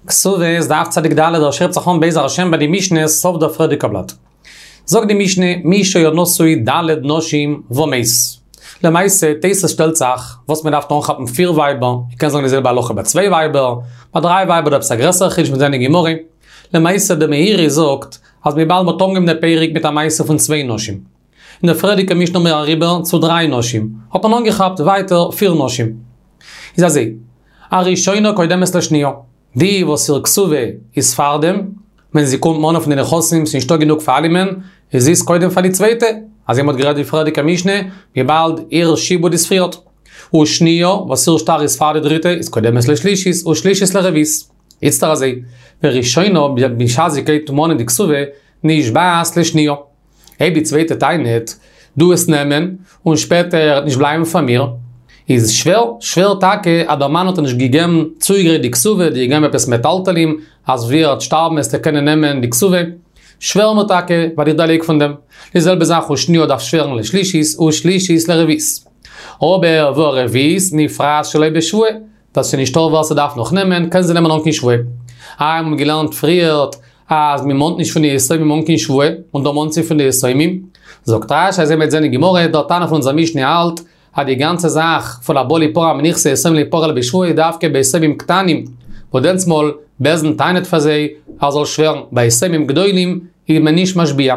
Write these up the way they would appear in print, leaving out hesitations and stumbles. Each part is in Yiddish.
כתובות דף צדיק ד' דער שיעור הייבט זיך אן בעזר השם ביי די משנה סוף דער פריערדיגע בלאט. זאגט די משנה מי שהיה נשוי ד' נשים ומת. למעשה תוס' שטעלט זיך וואס מען דארף אנכאפן פיר ווייבער, מען קען זאגן די זעלבע הלכה ביי צוויי ווייבער, ביי דריי ווייבער איז דא עפעס א גרעסערע חידוש מ'וועט זען אין גמרא. למעשה די מאירי זאגט אז וויבאלד מ'האט אנגעהויבן די פרק מיט א מעשה פון צוויי נשים. אין די פריערדיגע משנה האבן מיר אריבער צו דריי נשים, האט מען אנגעכאפט ווייטער פיר נשים. איז אזוי, הראשונה קודמת לשניה, די וואס איר כתובה איז פארדעם, ווען זי קומט מאנען פון די נכסים ס'איז נישטא גענוג פאר אלעמען, איז זי איז קודם פאר די צווייטע, אזוי מ'האט גערעדט די פריערדיגע משנה, וויבאלד איר שעבוד איז פריערט. ושניה, וואס איר שטר איז פאר די דריטע, איז קודמת לשלישית, ושלישית לרביעית. איצטער אזוי, וראשונה, בשעת זי גייט מאנען די כתובה, נשבעת לשניה. אויב די צווייטע טענה'ט, דו וועסט נעמען, און שפעטער וועט נישט בלייבן פאר מיר, איז שווער, שווער טאקע אז דער מאן האט איר נישט געגעבן צוגעגרייט די כתובה, דיר געגעבן עפעס מטלטלים, אז ווי ער וועט שטארבן וועסטו קענען נעמען די כתובה. שווער מיר טאקע, ווייל איך דערלייג פון דעם. די זעלבע זאך ושניה דארף שווערן לשלישית, ושלישית לרביעית. אבער והרביעית נפרעת שלא בשבועה, ווייל ס'איז נישטא ווער ס'דארף נאך נעמען, קען זי נעמען אן קיין שבועה. איי מ'האט געלערנט פריערט אז מ'מאנט נישט פון די יתומים אן קיין שבועה, און דא מאנט זי פון די יתומים. זאגט רש"י אזוי מ'וועט זען אין גמרא, דער תנא פון אונזער משנה האלט אז די גאנצע זאך פון הבא ליפרע מנכסי יתומים לא יפרע אלא בשבועה איז דווקא ביי יתומים קטנים, וואס דענסטמאל בית דין טענה'ט פאר זיי אז זאל שווערן, ביי יתומים גדולים איז מען נישט משביע.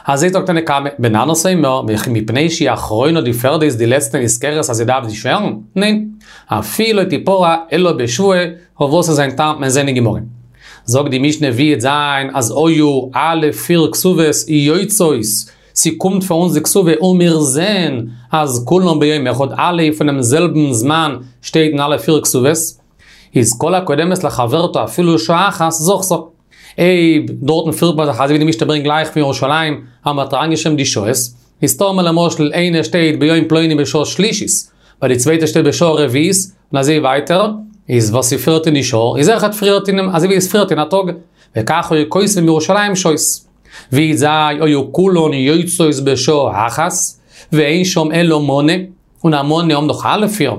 אזוי זאגט תנא קמא, בן ננס אומר, וכי מפני שהיא אחרונה די פערדע איז די לעצטע נזכרת אז זי דארף די שווערן? ניין. אפילו לא תפרע אלא בשבועה, אויף וואס איז זיין טעם מ'עט זען אין גמרא. זאגט די משנה ווי עט זיין אז היו אלע פיר כתובות יוצאות, ס'קומט פאר אונז די כתובה און מיר זעהן אז כולן ביום אחד אלע פונעם זעלבן זמן שטייט אין אלע פיר כתובות, איז כל הקודמת לחברתה אפילו שעה אחת זכתה. אויב דארטן פירט מען זיך אזוי ווי די משנה ברענגט גלייך פון ירושלים אז מ'האט אריינגעשריבן די שעות, איז טאמער למשל איינע שטייט ביום פלוני בשעה שלישית, ביי די צווייטע שטייט בשעה רביעית, און אזוי ווייטער, איז וואס איז פריערט אין די שעה, איז אויכעט פריערט אינעם, אזוי ווי עס פריערט אין א טאג, וכך היו כותבים בירושלים שעות. ווי זיי היו כולן יוצאות בשעה אחת, ואין שם אלא מנה, און א מנה האבן דאך אלע פיר,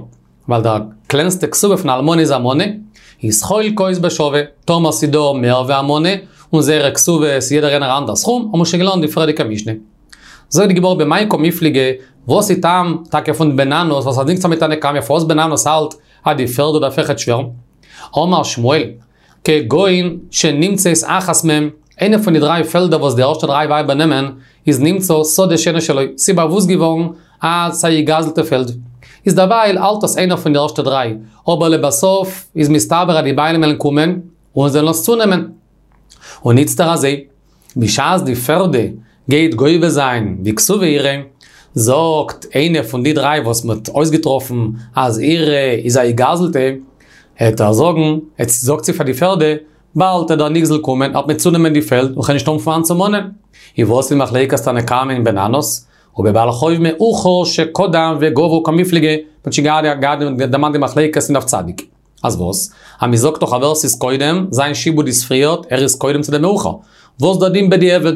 ווייל דער קלענסטע כתובה פון אלמנה איז א מנה, איז חולקות בשווה, טאמער ס'איז דא מער ווי א מנה, און זייערע כתובות איז יעדער איינער א אנדער סכום, האבן מיר שוין געלערנט די פריערדיגע משנה. זאגט די גמרא במאי קמיפלגי, וואס איז טעם טאקע פון בן ננס וואס דינגט זיך מיט תנא קמא פארוואס בן ננס האלט אז די פערדע דארף אויכעט שווערן? אמר שמואל, כגון שנמצאת אחת מהם, איינע פון די דריי פעלדער וואס די ערשטע דריי ווייבער נעמען, איז נמצא שדה שאינו שלו, ס'איז באוואוסט געווארן אז ס'איז א געגזלטע פעלד. איז דערווייל האלט עס איינער פון די ערשטע דריי, אבער לבסוף איז מסתבר אז די בעלים וועלן קומען און זיי וועלן עס צונעמען. און איצטער אזוי, בשעת די פערדע גייט גובה זיין די כתובה אירע, זאגט איינע פון די דריי וואס מ'האט אויסגעטראפן אז אירע איז א געגזלטע, העט ער זאגן, זאגט זי פאר די פערדע, באלד העט דער נגזל קומען, העט מיר צונעמען די פעלד, און כ'וועל נישט האבן פון וואנען צו מאנען. איז וואס איז מחלוקת תנא קמא און בן ננס? ובבעל חוב מאוחר שקדם וגבה קמיפלגי, מ'האט שוין געהאט דערמאנט די מחלוקת אין דף צדיק. אז וואס? אז מ'זאגט דאך אז ווער ס'איז קודם, זיין שעבוד איז פריערט, ער איז קודם צו דעם מאוחר. וואס דער דין בדיעבד?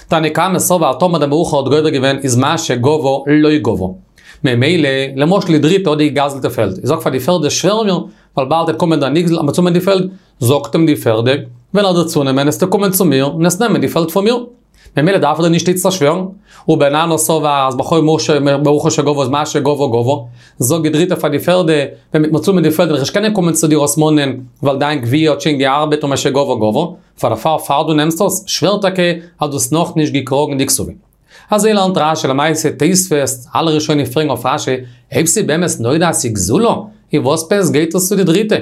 תנא קמא סבר טאמער דער מאוחר האט גובה געווען איז מה שגבה לא גבה. ממילא, למשל די דריטע האט די געגזלטע פעלד, זי זאגט פאר די פערדע שווער מיר, ווייל באלד וועט קומען דער נגזל און צונעמען די פעלד, זאגט אים די פערדע, ווען ער וועט צונעמען עסטו קומען צו מיר און עסט נעמען די פעלד פון מיר. ממילא דארף ער דיר נישט איצטער שווערן. ובן ננס סבר אז בחוב מאוחר שגבה איז מה שגבה גבה. זאגט די דריטע פאר די פערדע, ווען מ'וועט מיר צונעמען די פעלד וועל איך נישט קענען קומען צו דיר עס מאנען, ווייל דיין גבייה האט שוין געארבעט און מה שגבה גבה. פאר דערפאר פאר דו נעמסט עס, שווער טאקע אז דו האסט נאכנישט געקראגן די כתובה. אזוי לערנט רשי למעשה תוספות, אלע ראשונים פרעגן אויף רשי, אויב ס'איז באמת נודע אז ס'איז גזולה, איז וואס עפעס גייט עס צו די דריטע?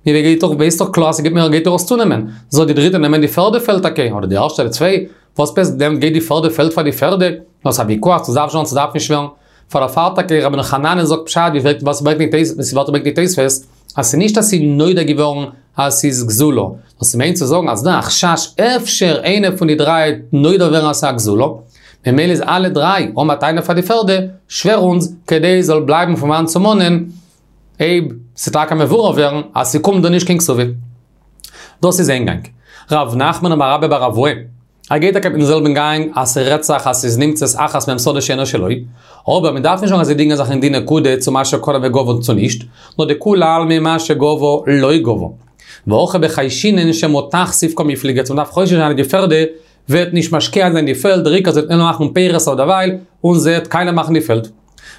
מיר גייט דאך, ווייסט דאך קלאר אז ס'גייט מיר גייט ער עס צונעמען, זאל די דריטע נעמען די פערדע פעלד טאקע, אדער די ערשטע אדער צוויי, וואס עפעס דען גייט די פערדע פעלד פאר די פערדע, נאר ס'איז א ויכוח צו ס'דארף שווערן צו ס'דארף נישט שווערן. פאר דערפאר טאקע רבינו חננאל זאגט פשט ווי פרעגט וואס ברענגט נישט תוספות וואס ברענגט נישט תוספות אז ס'איז נישט אז ס'איז נודע געווארן אז ס'איז גזולה, נאר ס'מיינט צו זאגן אז ס'דא א חשש אפשר איינע פון די דריי וועט נודע ווערן אז ס'איז א גזולה, ממילא איז אלע דריי האבן א טענה פאר די פערדע, שווער אונז כדי ס'זאל בלייבן פון וואנען צו מאנען אויב ס'וועט טאקע מבורר ווערן אז ס'קומט דא נישט קיין כתובה. דאס איז איין גאנג. רב נחמן אמר רבה בר אבוה. ער גייט טאקע מיטן זעלבן גאנג אז ס'רעדט זיך אז ס'איז נמצאת אחת מהם שדה שאינו שלו, אבער מ'דארף נישט זאגן אז זיי דינגען זיך אין די נקודה צו מה שקדם וגבה צו נישט, נאר דכולי עלמא מה שגבה לא גבה. והכא בחיישינן שמא תכסיף קמיפלגי, אז מ'דארף חושש זיין אז די פערדע וועט נישט משקיע זיין די פעלד, דער עיקר זי וועט נאר מאכן פירות אויף דערווייל, און זי וועט קאליע מאכן די פעלד.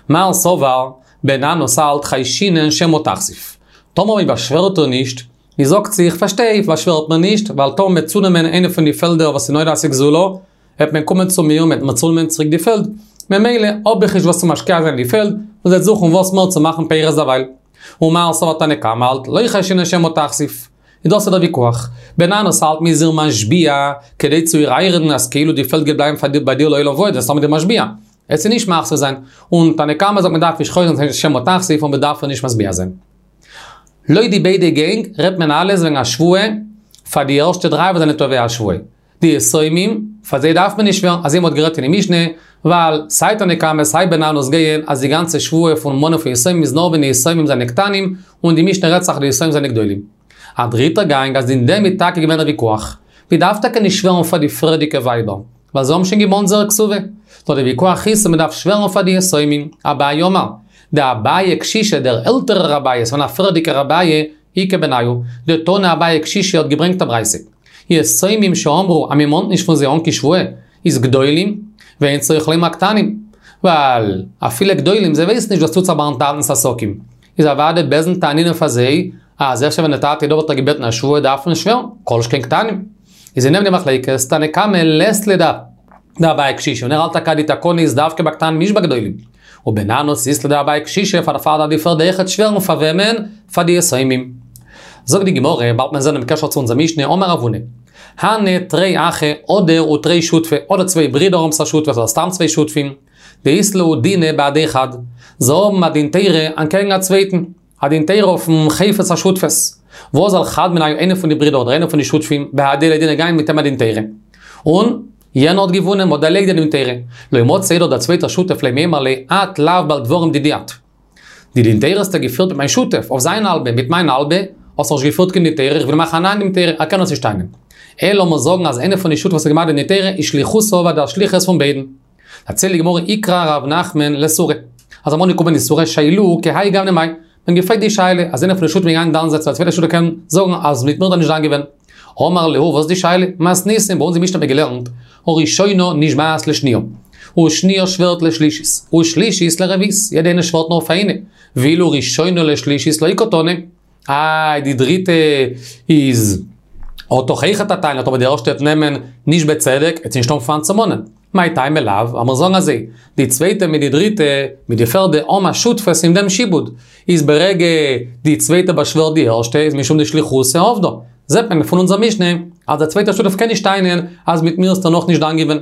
מר סבר, בן ננס האלט חיישינן שמא תכסיף. טאמער מען באשווערט איר נישט, זי זאגט זיך, פארשטיי, באשווערט מען נישט, ווייל טאמער מ'וועט צונעמען איינע פון די פעלדער וואס איז נולד אז ס'איז גזולה, וועט מען קומען צו מיר און מ'וועט מיר צונעמען צוריק די פעלד, ממילא האב איך נישט וואס צו משקיע זיין אין די פעלד, און זי וועט זוכן וואס מער צו מאכן פירות דערווייל. ומר סבר תנא קמא האלט, לא חיישינן שמא תכסיף. און דאס איז דער ויכוח. בן ננס האלט מ'איז איר משביע, כדי צו איר איינרעדן אז כאילו די פעלד גייט בלייבן פאר דיר ביי דיר לעולם ועד, וועסט האבן די משביע. וועט זי נישט מכסיף זיין. און תנא קמא זאגט מען דארף נישט חושש זיין שמא תכסיף און מען דארף איר נישט משביע זיין. לויט די ביידע גענג רעדט מען אלעס וועגן א שבועה פאר די ערשטע דריי וואס זענען תובע השבועה. די יתומים, פאר זיי דארף מען נישט שווערן, אזוי מ'האט גערעדט אין די משנה, ווייל סיי תנא קמא סיי בן ננס גייען אז די גאנצע שבועה פון מאנען פון יתומים איז נאר ווען די יתומים זענען קטנים, און די משנה רעדט זיך די יתומים זענען גדולים. א דריטער גאנג אז אין דעם איז טאקע געווען א ויכוח. מ'דארף טאקע נישט שווערן פאר די פריערדיגע ווייבער, ווייל זיי האבן שוין געמאנט זייער כתובה. נאר די ויכוח איז צו מ'דארף שווערן פאר די יתומים. אביי אמר, דאביי קשישא דער עלטערער אביי, ס'געווען א פריערדיגער אביי, איכא בינייהו, דתנא אביי קשישא האט געברענגט א ברייתא. יתומים שאמרו אז מ'מאנט נישט פון זיי אן קיין שבועה, איז גדולים, ואין צריך לומר קטנים. ווייל אפילו גדולים זיי ווייסן נישט וואס טוט זיך ביים טאטנ'ס עסקים. איז אוודאי בית דין טענה'נען פאר זיי, אז אפשר ווען די טאטע איז דא וואלט ער געבעטן א שבועה דארף מען שווערן, כל שכן קטנים. איז אין דעם די מחלוקת, תנא קמא לית ליה דאביי קשישא, און ער האלט טאקע אז די תקנה איז דווקא ביי קטנים נישט ביי גדולים. ובן ננס אית ליה דאביי קשישא פאר דערפאר דארף די פערדע אויכעט שווערן פאר וועמען? פאר די יתומים. זאגט די גמרא, באלד מען זען דעם קשר צו אונזער משנה, אמר רב הונא, הני תרי אחי אדער ותרי שותפי, אדער צוויי ברידער האבן א שותפות אדער סתם צוויי שותפים, דאית להו דינא בהדי חד, זיי האבן א דין תורה אנטקעגן א צווייטן, א דין תורה אויפן חפץ השותפות, ואזל חד מינייהו איינער פון די ברידער אדער איינער פון די שותפים בהדיה לדינא געגאנגען מיט אים א דין תורה, און יענער האט געוואונען, מ'האט דערלייגט די דין תורה, לא מצי דער צווייטער שותף למימר ליה את לאו בעל דברים דידי את. די דין תורה האסטו געפירט מיט מיין שותף, אויף זיין האלבע, מיט מיין האלבע, האסטו נישט געפירט קיין דין תורה, איך וויל מאכן א נייעם דין תורה, ער קען עס נישט טענה'ן. אלא מוז זאגן אז איינער פון די שותפים וואס האט געמאכט די דין תורה איז שליחותא עבד א שליחות פון ביידן. דערציילט די גמרא איקרע רב נחמן לסורא. אז אמאל געקומען די סורא שיילוה כי האי גוונא מאי. מען האט געפרעגט די שאלה, אז איינער פון די שותפים געגאנגען דן זיין צו א צווייטער שותף קען זאגן אז מיט מיר האט ער נישט דן געווען. אמר להו וואס איז די שאלה? מתניתין, ביי אונז אין משנה האט מען געלערנט, הראשונה נשבעת לשניה, ושניה שווערט לשלישית, ושלישית לרביעית, יעדע איינע שווערט נאר פאר איינע, ואילו ראשונה לשלישית לא קתני. איי די דריטע איז האט דאך אויכעט א טענה, אבער די ערשטע וועט נעמען נישט בצדק, וועט זי נישט האבן פון וואנעט צו מאנען. מאי טעמא לאו, לאמיר זאגן אזוי, די צווייטע מיט די דריטע, מיט די פערדע האבן א שותפות אין דעם שעבוד, איז ברגע די צווייטע באשווערט די ערשטע איז משום דשליחותא עבדא. זעט מען פון אונזער משנה אז דער צווייטער שותף קען נישט טענה'ן אז מיט מיר האסטו נאכנישט דן געווען.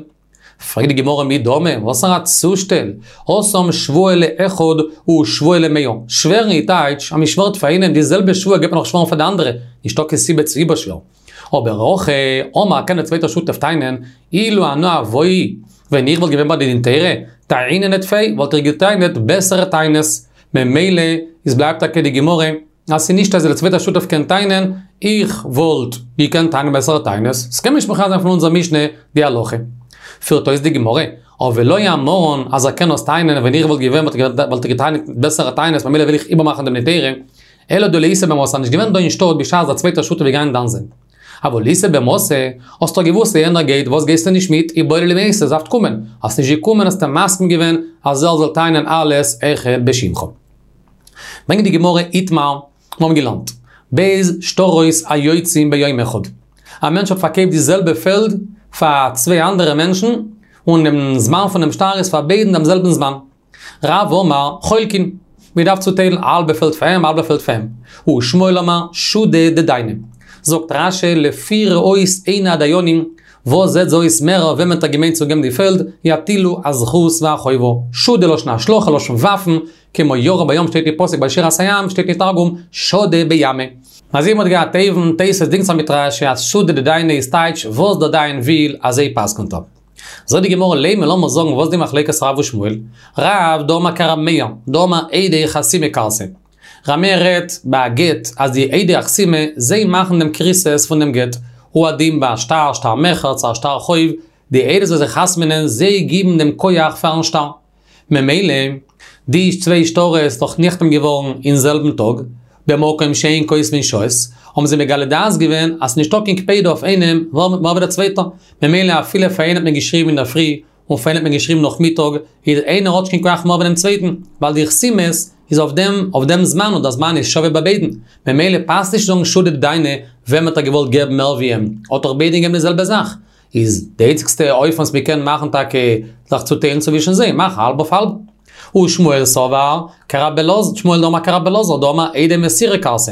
פרעגט די גמרא מי דמי, וואסערע צושטעל, התם שבועה לאחד ושבועה למאה, שווערן איז טייטש אז מען שווערט פאר איינעם די זעלבע שבועה גייט מען נאך שווערן פאר די אנדערע, נישטא קיין סיבה צו איבערשווערן. אבער הכא אמר קען דער צווייטער שותף טענה'ן, אילו אנא הואי, ווען איך וואלט געווען ביי די דין תורה, טעיננא טפי, וואלט איך גע'טענה'ט בעסערע טענות, ממילא איז בלייבט טאקע די גמרא, אז ס'איז נישט אז דער צווייטער שותף קען טענה'ן, איך וואלט געקענט טענה'ן בעסערע טענות, ס'קען נישט מכריע זיין פון אונזער משנה די הלכה. פירט אויס די גמרא, אבער לא אמרן אז ער קען עס טענה'ן ווען איך וואלט געווען וואלט איך געטענה'ט בעסערע טענות ממילא וויל איך איבערמאכן דעם דין תורה, אלא דלא איתא במתא, נישט געווען דא אין שטאט בשעת דער צווייטער שותף איז געגאנגען דן זיין. אבל איתא במתא, האסט דאך געוואוסט אז יענער גייט, וואס גייסטו נישט מיט, איבעי ליה למיתי, דארפסט קומען, האסט נישט געקומען האסטו מסכים געווען אז ער זאל טענה'ן אלעס אויכעט בשמך. ברענגט די גמרא איתמר, מיר האבן געלערנט, ב' שטרות היוצאים ביום אחד. א מענטש האט פארקויפט די זעלבע פעלד פאר צוויי אנדערע מענטשן, און דעם זמן פונעם שטר איז פאר ביידן דעם זעלבן זמן. רב אמר, חולקין, מען דארף צוטיילן א האלבע פעלד פאר אים, א האלבע פעלד פאר אים. ושמואל אמר, שודא דדייני. זאגט רש"י, לפי ראות עיני הדיינים, וואס זעט זיי אויס מער וועמען האט ער געמיינט צו געבן די פעלד, יטילו הזכות והחובה. שודא לשון השלכה, לשון ווארפן, כמו ירה בים שטייט אין פסוק ביי שירת הים, שטייט אין תרגום, שדא בימא. אזוי ווי מ'האט געהאט אויבן, תוס' דינגט זיך מיט רש"י אז שודא דדייני איז טייטש וואס דער דיין וויל אזוי פסק'נט ער. זאגט די גמרא לימא לאמיר זאגן וואס די מחלוקת רב ושמואל, רב דאמר כר' מאיר, דאמר עדי חתימה כרתי. ר' מאיר רעדט ביי א גט אז די עדי החתימה זיי מאכן דעם כריתות פון דעם גט, הוא הדין ביי א שטר, שטר מכר צו א שטר חוב, די עדות וואס זיי חתמ'נען זיי גיבן דעם כח פארן שטר. ממילא, די צוויי שטרות איז דאך נחתם געווארן אין זעלבן טאג, במקום שאין כותבין שעות, האבן זיי מגלה דעת געווען אז ס'נישטא קיין קפידא אויף איינעם מער ווי דער צווייטער, ממילא אפילו פאר איינעם האט מען געשריבן אינדערפרי און פאר איינעם האט מען געשריבן נאכמיטאג, איז איינער האט נישט קיין כח מער ווי דעם צווייטן, ווייל די חתימות איז אויף דעם אויף דעם זמן און דער זמן איז שווה ביי ביידן, ממילא פאסט נישט זאגן שודא דדיינא וועם האט ער געוואלט געבן מער ווי אים, האט דאך ביידן געגעבן די זעלבע זאך, איז די איינציגסטע אופן וואס מ'קען מאכן טאקע זיך צוטיילן צווישן זיי, מאך האלב אויף האלב. ושמואל סבר כרבי אלעזר, שמואל דאמר כרבי אלעזר דאמר עדי מסירה כרתי.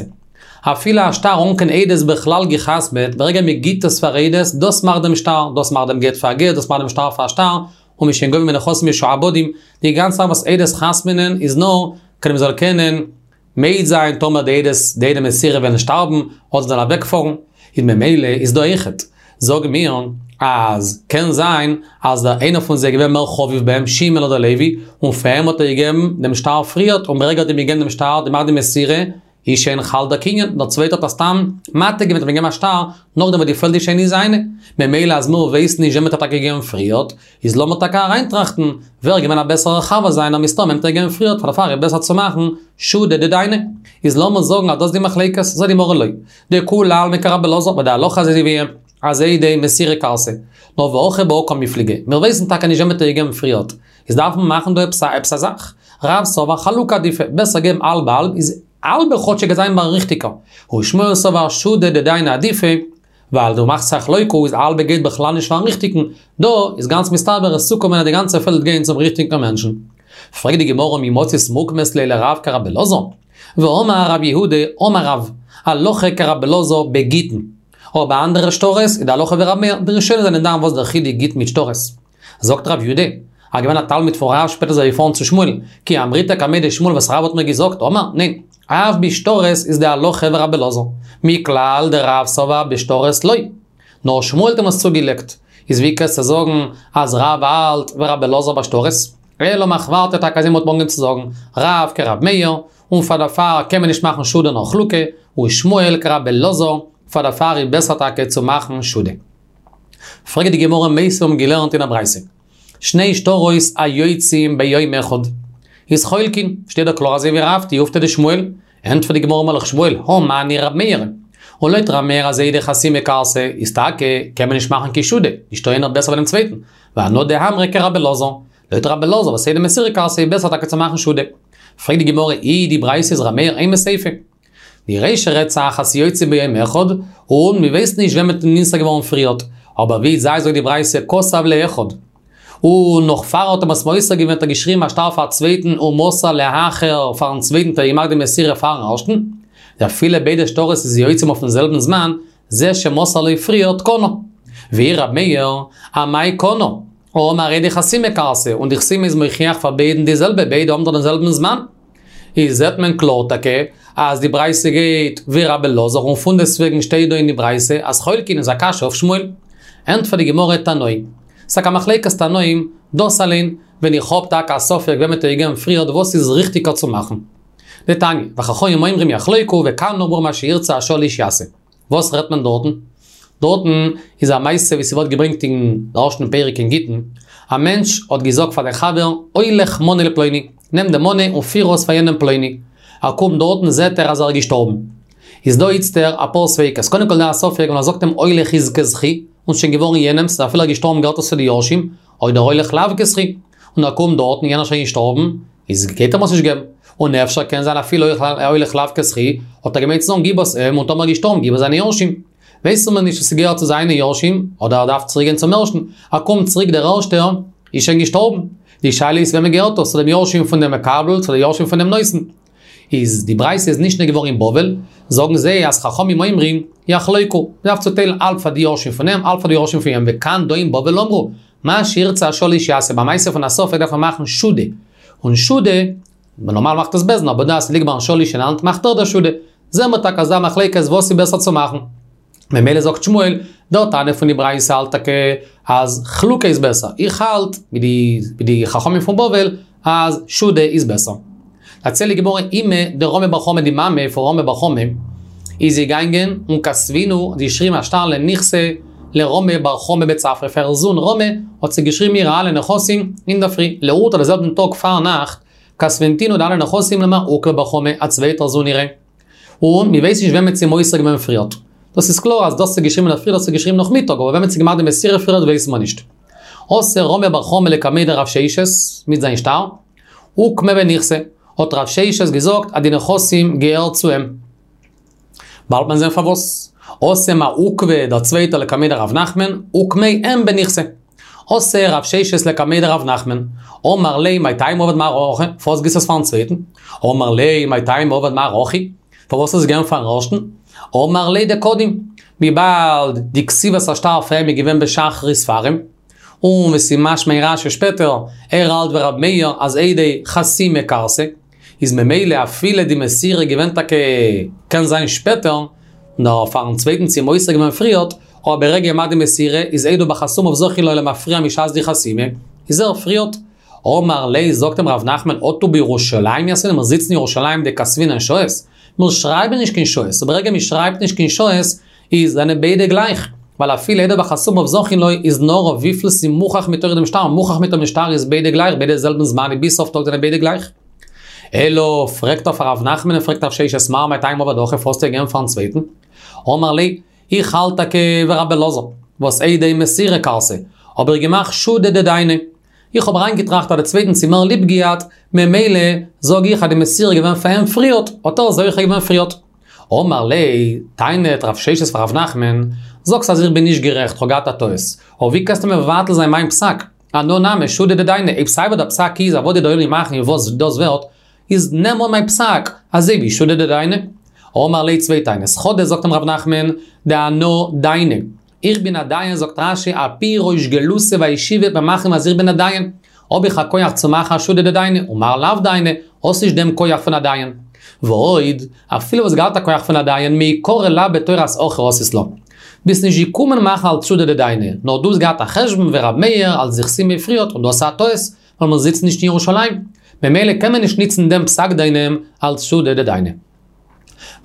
אפילו א שטר אן קיין עדות בכלל גע'חתמ'עט, ברגע מ'גיט עס פאר עדות, דאס מאכט דעם שטר, דאס מאכט דעם גט פאר א גט, דאס מאכט דעם שטר פאר א שטר, און מ'איז שוין גובה מנכסים משועבדים, די גאנצע זאך וואס עדות חתמ'נען איז נאר כדי מ'זאל קענען מעיד זיין טאמער די עדות די עדי מסירה וועלן שטארבן אדער זאלן אוועק פארן, איז ממילא איז דא אויכעט זאגן מיר אז קען זיין אז דער איינער פון זיי איז געווען מער חביב ביי אים שמעון אדער לוי און פאר אים האט ער געגעבן דעם שטר פריערט און ברגע האט אים געגעבן דעם שטר געמאכט די מסירה איז שוין חל דער קנין, דער צווייטער האט ער סתם מעתיק געווען האט אים געגעבן א שטר נאכדעם וואס די פעלד איז שוין נישט זיינע, ממילא אז מיר ווייסן נישט וועם האט ער טאקע געגעבן פריערט, איז לאמיר טאקע אריינטראכטן, ווער איז געווען א בעסערער חבר זיינער מסתמא אים האט ער געגעבן פריערט פאר דערפאר איז בעסער צו מאכן שודא דדיינא. איז לאמיר זאגן אז דאס די מחלוקת, זאגט די גמרא לא. דכולי עלמא כרבי אלעזר, ווייל די הלכה איז אזוי ווי אים, אז עדי מסירה כרתי. נאר והכא בהא קמיפלגי, מיר ווייסן טאקע נישט וועם האט ער געגעבן פריערט, איז דארף מען מאכן דא עפעס א עפעס א זאך. רב סבר חלוקה עדיפא, בעסער געבן האלב האלב, איז האלבע כאטשיג גייט זיין ביים ריכטיגער. ושמואל סבר שודא דדיינא עדיפא, ווייל דו מאכסט יחלוקו איז האלבע גייט בכלל נישט פארן ריכטיגן, דא איז גאנץ מסתבר עס צוקומען אז די גאנצע פעלד גייען צום ריכטיגן מענטשן. פרעגט די גמרא מי מצית מוקמת ליה לרב כרבי אלעזר? והאמר רב יהודה אמר רב, הלכה כרבי אלעזר בגיטין. אבער ביי אנדערע שטרות איז די הלכה ווי רב מאיר, די ראשונים זענען דן וואס דער חילוק גיטין מיט שטרות. זאגט רב יהודה, ער געווען א תלמיד פון רב שפעטער איז ער געפארן צו שמואל, כי אמריתה קמיה דשמואל וואס רב האט מיר געזאגט, אמר, ניין, אף בשטרות איז די הלכה ווי רבי אלעזר, מכלל דרב סבר בשטרות לא. נאר שמואל האט אים עס צוגעלייגט, איז ווי קענסטו זאגן אז רב האלט ווי רבי אלעזר בשטרות? אלא מחוורתא טאקע אזוי מ'האט אנגעהויבן צו זאגן, רב כרב מאיר, און פאר דערפאר קען מען נישט מאכן שודא נאר חלוקה, ושמואל כרבי אלעזר, פאר דערפאר איז בעסער טאקע צו מאכן שודא. פרעגט די גמרא מיתיבי האבן געלערנט אין א ברייתא, שני שטרות היוצאים ביום אחד, איז חולקין, שטייט דא קלאר אזוי ווי רב תיובתא דשמואל, ענטפערט די גמרא אמר לך שמואל, הא מני רב מאיר, און לויט רב מאיר אז עדי חתימה כרתי איז טאקע קען מען נישט מאכן קיין שודא, נישטא איינער בעסער פונעם צווייטן, ואנא דאמרי כרבי אלעזר, לויט רבי אלעזר וואס עדי מסירה כרתי איז בעסער טאקע צו מאכן שודא. פרעגט די גמרא אי די ברייתא איז רב מאיר אימא סיפא. די רישא רעדט זיך אז ס'יוצא ביום אחד, און מ'ווייסט נישט ווען מ'האט נמסר געווארן פריערט, אבער ווי זיי זאגט די ברייתא כתב לאחד, און נאך פאר ער האט אים עס מוסר געווען האט ער געשריבן א שטר פאר א צווייטן ומסר לאחר פארן צווייטן האט ער געמאכט די מסירה פארן ערשטן, אפילו ביידע שטרות איז יוצאים אויפן זעלבן זמן, זה שמסר לו פריערט קנה. ואי רב מאיר, אמאי קנה? האמר עדי חתימה כרתי, און די חתימה איז מוכיח פאר ביידן די זעלבע, ביידע האבן דאך דעם זעלבן זמן. איז זעט מען קלאר טאקע אז די ברייתא גייט ווי רבי אלעזר און פונדעסטוועגן שטייט דא אין די ברייתא אז חולקין איז א קשיא אויף שמואל. ענטפערט די גמרא תנאי. ס'טאקע א מחלוקת תנאים, דאס אליין, ווען איך האב טאקע א ספק וועם מ'האט געגעבן פריערט וואס איז ריכטיגער צו מאכן. דתניא, וחכמים אומרים יחלוקו וכאן אמרו מה שירצה השליש יעשה. וואס רעדט מען דארטן? דארטן איז א מעשה ווי ס'ווערט געברענגט אין ערשטן פרק אין גיטין, א מענטש האט געזאגט פאר זיין חבר, הולך מנה לפלוני, נעם די מנה און פיר אויס פאר יענעם פלוני. ער קומט דארטן זעט ער אז ער איז געשטארבן. איז דא איצטער אפאר ספיקות, קודם כל דא א ספק ווען ער זאגט אים הולך איז כזכי, און ס'שוין געווארן יענעמ'ס, אפילו ער איז געשטארבן געהערט עס צו די יורשים, אדער הולך לאו כזכי, און ער קומט דארטן יענער שוין געשטארבן, איז גייט ער אים עס נישט געבן. און אפשר קען זיין אפילו הולך לאו כזכי, האט ער געמיינט צו זאגן גיב עס אים, און טאמער ער געשטארבן גיב עס זיינע יורשים. ווייסן מיר נישט צו ס'געהערט צו זיינע יורשים, אדער ער דארף צוריק גיין צום ערשטן. ער קומט צוריק דער ערשטער איז שוין געשטארבן. די שאלה איז וועמען געהערט עס, צו דעם יורשים פון דעם מקבל, צו די יורשים פון דעם נותן. איז די ברייתא איז נשנה געווארן אין בבל, זאגן זיי אז חכמים אומרים, יחלוקו, מ'דארף צוטיילן האלב פאר די יורשים פון אים, האלב פאר די יורשים פון יענעם, וכאן דא אין בבל אמרו, מה שירצה השליש יעשה, ביי מעשה פון א ספק דארף מען מאכן שודא, און שודא, נארמאל מאכט עס בית דין, אבער דא אז ס'ליגט ביים שליש אין האנט מאכט ער די שודא, זעהן מיר טאקע אז דא מחלוקת וואס איז בעסער צו מאכן. ממילא זאגט שמואל, דער תנא פון די ברייתא האלט טאקע אז חלוקה איז בעסער, איך האלט, ווי די ווי די חכמים פון בבל, אז שודא איז בעסער. דערציילט די גמרא אימיה דרמי בר חמא די מאמע פון רמי בר חמא איז געגאנגען און כתבינהו האט געשריבן א שטר לנכסי לרמי בר חמא בצפרא פאר איר זון רמי האט זי געשריבן אירע אלע נכסים אינדערפרי לאורתא די זעלבן טאג פארנאכט כתבינהו די אלע נכסים למר עוקבא בר חמא א צווייטער זון אירע. און מען ווייסט נישט ווען מען האט זי מוסר געווען פריערט. דאס איז קלאר אז דאס איז געשריבן אינדערפרי דאס איז געשריבן נאכמיטאג אבער ווען מען האט זי געמאכט די מסירה פריערט ווייסט מען נישט. אתא רמי בר חמא לקמיה דרב ששת מיט זיין שטר, אוקמיה בנכסי, האט רב ששת געזאגט אז די נכסים געהערט צו אים. באלד וועט מען זען פארוואס. אתא מר עוקבא דער צווייטער לקמיה דרב נחמן, אוקמיה אים בנכסי. אתא רב ששת לקמיה דרב נחמן, אמר ליה מאי טעמא עביד מר הכי, פארוואס גיבסטו עס פארן צווייטן? אמר ליה מאי טעמא עביד מר הכי, פארוואס האסט עס געגעבן פארן ערשטן? אמר ליה דקדים, וויבאלד די כתיבת השטר פאר אים איז געווען בשחרית פאר אים, און ווי ס'איז משמע אין רש"י שפעטער, ער האלט ווי רבי מאיר אז עדי חתימה כרתי, איז ממילא אפילו די מסירה געווען טאקע קען זיין שפעטער, נאר פארן צווייטן צו מוסר געווען פריערט, אבער ברגע געמאכט די מסירה איז עדו בחתומיו זכין לו למפרע משעת די חתימה, איז ער פריערט. אמר ליה זאגט אים ר' נחמן אטו בירושלים יתבינן מיר זיצן אין ירושלים דכתבינן שעות, מיר שרייבן נישט קיין שעות, און ברגע מען שרייבט נישט קיין שעות איז זענען ביידע גלייך, ווייל אפילו עדו בחתומיו זכין לו איז נאר אויף וויפיל ס'איז מוכח מתוך דעם שטר, מוכח מתוך דעם שטר איז ביידע גלייך, ביידע זעלבן זמן און ביז סוף טאג זענען ביידע גלייך. אלא פרעגט אויף ר' נחמן און פרעגט רב ששת מר מאי טעמא עביד הכי פארוואס האסטו געגעבן פארן צווייטן? אמר ליה, איך האלט טאקע ווי רבי אלעזר, וואס עדי מסירה כרתי, האב איך געמאכט שודא דדייני. איך האב אריינגעטראכט אז די צווייטן צו מער ליב געהאט, ממילא זאג איך אז די מסירה איז געווען פאר אים פריערט, האט ער זוכה געווען פריערט. אמר ליה, טענה'ט רב ששת פאר רב נחמן, זאגסט אז איך בין נישט גערעכט, כ'האב געהאט א טעות, אבער ווי קענסטו מבטל זיין מיין פסק? אנא נמי שודא דדייני, אויב סיי ווי דער פסק איז אז וואס די דיינים מאכן איז וואס דאס ווערט, איז נעם אן מיין פסק, אזוי ווי שודא דדייני. אמר ליה צוויי טענות, חדא זאגט אים רב נחמן, דאנא דיינא, איך בין א דיין זאגט רש"י על פי ריש גלותא והישיבה וועט מען מאכן אז איך בין א דיין, האב איך א כח צו מאכן א שודא דדייני, ומר לאו דייני, האסט נישט דעם כח פון א דיין. ועוד, אפילו וואלסט געהאט א כח פון א דיין, מעיקרא לאו בתורת הכי אתית לה. ביסט נישט געקומען מאכן אלס שודא דדייני, נאר דו האסט געהאט א חשבון ווי ר' מאיר אלס די חתימה פריערט און דאס איז א טעות, ווייל מיר זיצן נישט אין ירושלים. ממילא קען מען נישט ניצן דעם פסק דיינעם אלס שודא דדייני.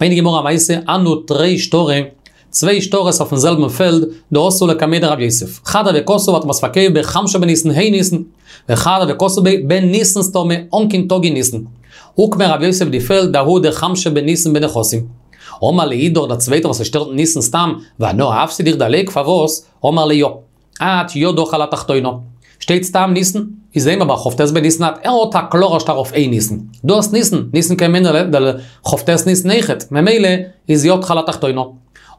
ברענגט די גמרא א מעשה, הנהו תרי שטרי, צוויי שטרות אויפן זעלבן פעלד, דאתו לקמיה דרב יוסף. חד הוה כתוב האט מען עס פארקויפט בחמשא בניסן ה' ניסן, וחד הוה כתוב ביה בניסן סתמא, אן קיין טאג אין ניסן. אוקמיה רב יוסף די פעלד דההוא דחמשא בניסן בנכסים. אמר לאידך דער צווייטער וואס עס שטייט ניסן סתם, ואנא אפסיד איך דערלייג פארוואס? אמר ליה יא. את ידך על התחתונה. שטייט סתם ניסן, איז אימר בר כ"ט בניסן את ער האט א קלארער שטר אויף ה' ניסן. דו האסט ניסן, ניסן קען מיינען דער כ"ט ניסן אויכעט, ממילא איז ידך על התחתונה.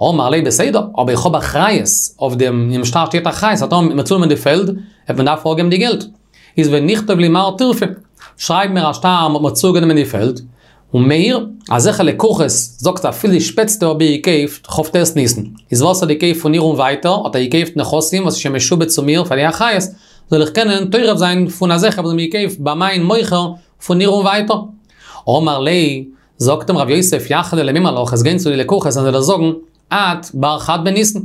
אמר ליה בסדר, אבער איך האב אחריות אויף דעם, אינעם שטר שטייט אחריות, אז טאמער מ'וועט צונעמען די פעלד, וועט מען דארפן אפגעבן די געלט. איז ונכתוב לי מר טירפא, שרייב מיר א שטר מ'האט מיר צוגענומען די פעלד, און מיר, אזעלכע לקוחות, זאגסט אפילו די שפעטסטע האב איך געקויפט כ"ט ניסן, איז וואס האט געקויפט פון איר און ווייטער, האט ער געקויפט נכסים וואס איז שוין משועבד צו מיר פאר די אחריות, זאל איך קענען טורף זיין פון אזעלכע וואס האבן געקויפט ביי מיין מוכר פון איר און ווייטער. אמר ליה, זאגט אים רב יוסף יכלי למימר לך, וועסט גיין צו די לקוחות און זיי דיר זאגן, את בר חד בניסן.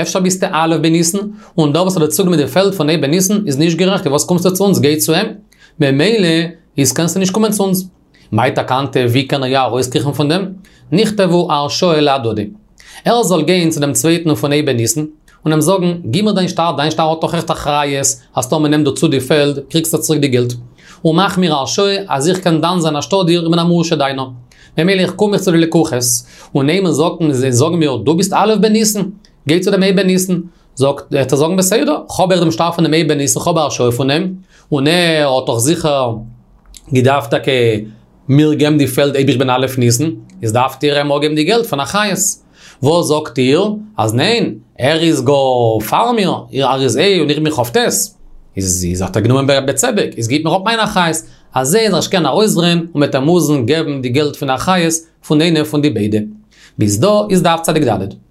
אפשר ביסטו א' בניסן, און דער וואס האט דיר צוגענומען די פעלד פון ה' בניסן איז נישט גערעכט, וואס קומסטו צו אונז, גיי צו אים. ממילא איז קענסטו נישט קומען צו אונז. מאי תקנתיה, ווי קען ער יא ארויסקריכן פון דעם? נכתבו הרשאה להדדי. ער זאל גיין צו דעם צווייטן פון ה' בניסן, און אים זאגן, גיב מיר דיין שטר, דיין שטר האט דאך אויכעט אחריות, אז טאמער מ'נעמט דיר צו די פעלד, קריגסטו צוריק די געלט. און מאך מיר הרשאה אז איך קען דן זיין אנשטאט דיר, איך בין א מורשה דיינער. ממילא איך קום איך צו די לקוחות, און אויב מ'זאגט, זיי זאגן מיר, דו ביסט א' בניסן, גיי צו דעם ה' בניסן. זאגט, וועט ער זאגן בסדר, כ'האב אויך דעם שטר פון דעם ה' בניסן, כ'האב א הרשאה פון אים, און ער האט דאך זיכער געדארפט טאקע מיר געבן די פעלד אויב איך בין א' ניסן, איז דארפט איר אים אפגעבן די געלט פון אחריות. וואס זאגט איר? אז ניין, ער איז גאר פאר מיר, ער איז ה' און איך בין כ"ט. איז איז האט ער גענומען בצדק, איז גיבט מיר אפ מיין אחריות. אזוי זאל ער זיך קענען ארויסדרייען און מ'וועט אים מוזן געבן די געלט פון אחריות פון איינע פון די ביידע. ביז דא איז דף צדיק ד'.